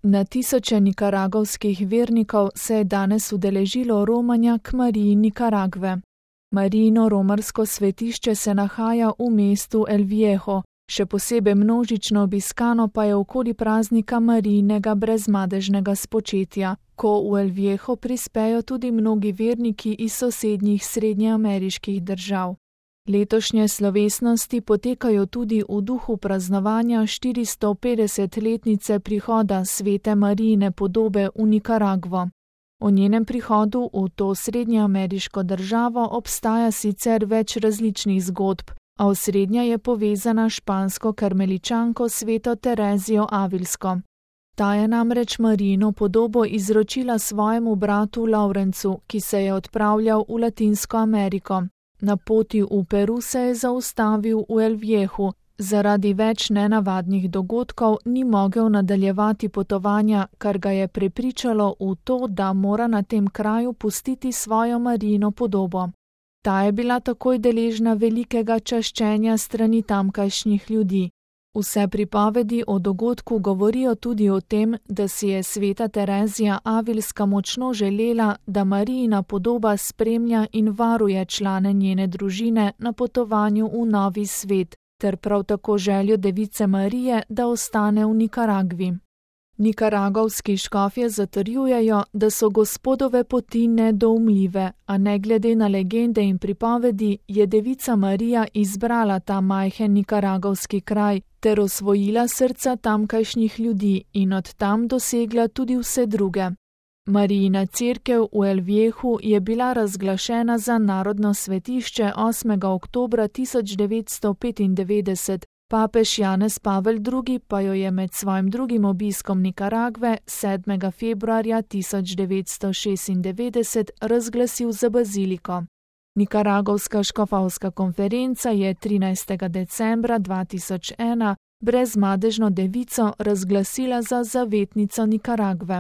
Na tisoče nikaragovskih vernikov se je danes udeležilo romanja k Mariji Nikaragve. Marijino romarsko svetišče se nahaja v mestu El Viejo, še posebej množično obiskano pa je okoli praznika Marijinega brezmadežnega spočetja, ko v El Viejo prispejo tudi mnogi verniki iz sosednjih srednjeameriških držav. Letošnje slovesnosti potekajo tudi v duhu praznovanja 450-letnice prihoda svete Marijine podobe v Nikaragvo. O njenem prihodu v to srednjeameriško državo obstaja sicer več različnih zgodb, a osrednja je povezana s špansko karmeličanko sveto Terezijo Avilsko. Ta je namreč Marijino podobo izročila svojemu bratu Laurencu, ki se je odpravljal v Latinsko Ameriko. Na poti v Peru se je zaustavil v El Vieju, zaradi več nenavadnih dogodkov ni mogel nadaljevati potovanja, kar ga je prepričalo v to, da mora na tem kraju pustiti svojo Marijino podobo. Ta je bila takoj deležna velikega čaščenja strani tamkajšnjih ljudi. Vse pripovedi o dogodku govorijo tudi o tem, da si je sveta Terezija Avilska močno želela, da Marijina podoba spremlja in varuje člane njene družine na potovanju v novi svet, ter prav tako željo device Marije, da ostane v Nikaragvi. Nikaragovski škofje zatrjujejo, da so Gospodove poti nedoumljive, a ne glede na legende in pripovedi je devica Marija izbrala ta majhen nikaragovski kraj ter osvojila srca tamkajšnjih ljudi in od tam dosegla tudi vse druge. Marijina cerkev v El Vieju je bila razglašena za narodno svetišče 8. oktobra 1995, papež Janez Pavel II. Pa jo je med svojim drugim obiskom Nikaragve 7. februarja 1996 razglasil za baziliko. Nikaragovska škofovska konferenca je 13. decembra 2001 brezmadežno devico razglasila za zavetnico Nikaragve.